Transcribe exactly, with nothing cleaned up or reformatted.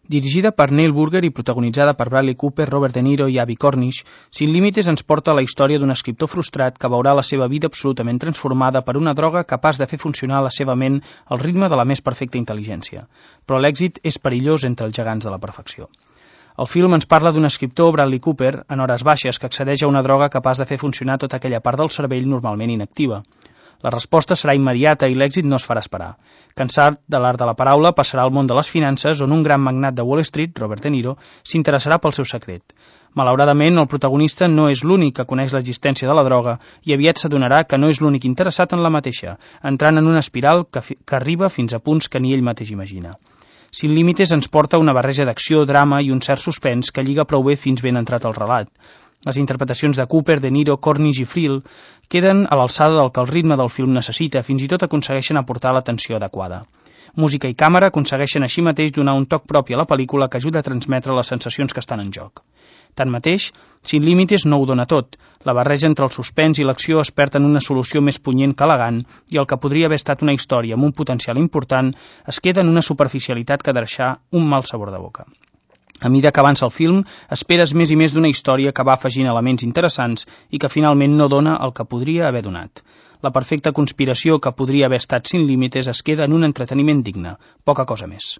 Dirigida per Neil Burger i protagonitzada per Bradley Cooper, Robert De Niro i Abbie Cornish, Sin Límites ens porta a la història d'un escriptor frustrat que veurà la seva vida absolutament transformada per una droga capaç de fer funcionar la seva ment al ritme de la més perfecta intel·ligència. Però l'èxit és perillós entre els gegants de la perfecció. El film ens parla d'un escriptor, Bradley Cooper, en hores baixes, que accedeix a una droga capaç de fer funcionar tota aquella part del cervell normalment inactiva. La resposta serà immediata i l'èxit no es farà esperar. Cansat de l'art de la paraula, passarà al món de les finances, on un gran magnat de Wall Street, Robert De Niro, s'interessarà pel seu secret. Malauradament, el protagonista no és l'únic que coneix l'existència de la droga i aviat s'adonarà que no és l'únic interessat en la mateixa, entrant en una espiral que, que arriba fins a punts que ni ell mateix imagina. Sin Límites ens porta una barreja d'acció, drama i un cert suspens que lliga prou bé fins ben entrat al relat. Les interpretacions de Cooper, De Niro, Cornish i Friel queden a l'alçada del que el ritme del film necessita, fins i tot aconsegueixen aportar l'atenció adequada. Música i càmera aconsegueixen així mateix donar un toc propi a la pel·lícula que ajuda a transmetre les sensacions que estan en joc. Tanmateix, Sin Límites no ho dona tot. La barreja entre el suspens i l'acció es perd en una solució més punyent que elegant i el que podria haver estat una història amb un potencial important es queda en una superficialitat que deixa un mal sabor de boca. A mesura que avança el film, esperes més i més d'una història que va afegint elements interessants i que finalment no dona el que podria haver donat. La perfecta conspiració que podria haver estat Sin Límites es queda en un entreteniment digne, poca cosa més.